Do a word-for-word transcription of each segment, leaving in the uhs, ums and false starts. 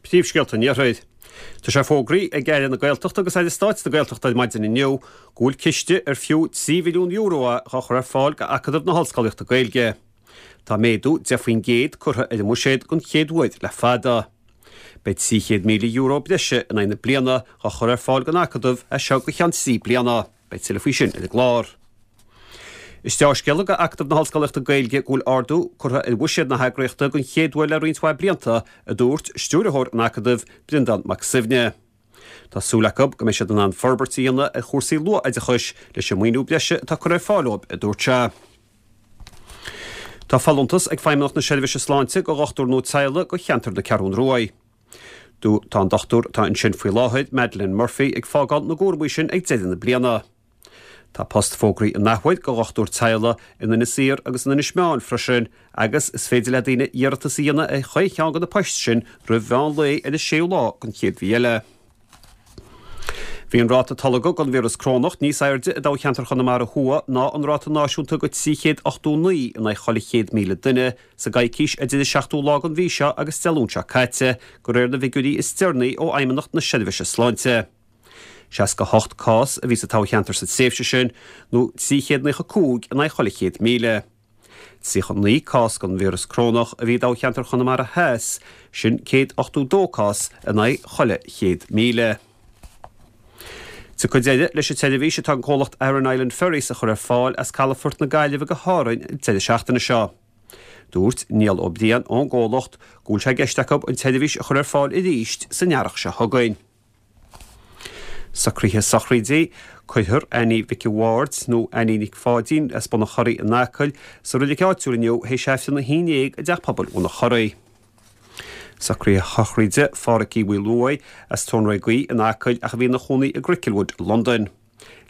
Príomhscéalta an Iarthair. Tá sé fógraithe ag Aire na Gaeltachta agus Aire Stáit na Gaeltachta ar maidin inniu go bhfuil ciste ar fiú trí mhilliún euro é á chur ar fáil go Acadamh na hOllscolaíochta Gaeilge. Tá méadú deich faoin gcéad curtha ar an mbuiséad don chéad uair le fada. Beidh trí chéad míle euro breise in aghaidh na bliana á chur ar fáil don Acadamh as seo go ceann trí bliana. Beidh tuilleadh faoi sin ar an gclár. Is dea-scéala go Acadamh na hOllscolaíochta Gaeilge go bhfuil ardú curtha ar bhuiséad na heagraíochta don chéad uair le roinnt mhaith blianta, a dúirt stiúrthóir an Acadaimh, Breandán Mac Suibhne. Tá súil acu go mbeidh siad in ann forbairt a dhéanamh ar chúrsaí luath-oideachais leis an maoiniú breise atá curtha ar fáil dóibh, a dúirt sé. Tá folúntas ag Feidhmeannacht na Seirbhíse Sláinte go dhochtúir nua teaghlaigh go cheantar na Ceathrún Ruaidh. Tá an dochtúir atá ansin faoi láthair, Madeleine Murphy, ag fágáil na gcúraimí sin ag deireadh na bliana. Tá post fógraithe an athuair go dhochtúir teaghlaigh in Inis Oírr agus in Inis Meáin freisin agus is féidir le daoine iarratas a dhéanamh ar chaon cheann de na poist sin roimh mheán lae ar an séú lá den chéad mhí eile. Bhí an ráta tolgtha den víreas corónach níos airde i dtoghcheantar Chonamara Thuaidh ná an ráta náisiúnta de trí chéad ochtó naoi in aghaidh chuile chéad míle duine sa gcoicís idir an seachtú lá den mhí seo agus Dé Luain seo caite, de réir na bhfigiúirí is deireanaí ó Fheidhmeannacht na Seirbhíse Sláinte. seasca a hocht cás a bhí sa toghcheantar sa tréimhse sin, nó trí chéad naocha cúig in aghaidh chuile chéad míle. tríocha naoi cás den víreas corónach a bhí i dtoghcheantar Chonamara Theas, sin céad ochtó dó cás in aghaidh chuile chéad míle. Tiocfaidh deireadh leis an tseirbhís atá an comhlacht Aran Island Ferries a chur ar fáil as calafort na Gaillimhe go hÁrainn an deireadh seachtaine seo. Dúirt Niall Ó Briain ón gcomhlacht go bhfuil sé i gceist acu an tseirbhís a chur ar fáil arís san earrach seo chugainn. Socruithe sochraide, Cuirfear Annie Mhic a' Bhaird, nó Annie Nic Pháidín, as Bun an Churraigh in Acaill, sa reilig áitiúil inniu théis Aifreann a haon déag i dTeach Pobail Bhun an Churraigh. Socruithe sochraide Phádhraic Uí Mhaoileoidh, as Tóin Gaoith in Acaill ach a bhí ina chónaí i gCricklewood i Londain.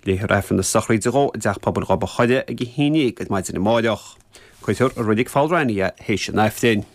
Léifear Aifreann na sochraide dhó i dTeach Pobail Ghob a' Choire ag a haon déag ar maidin amáireach. Cuirfear i Reilig Pholl Raithní é théis an Aifrinn.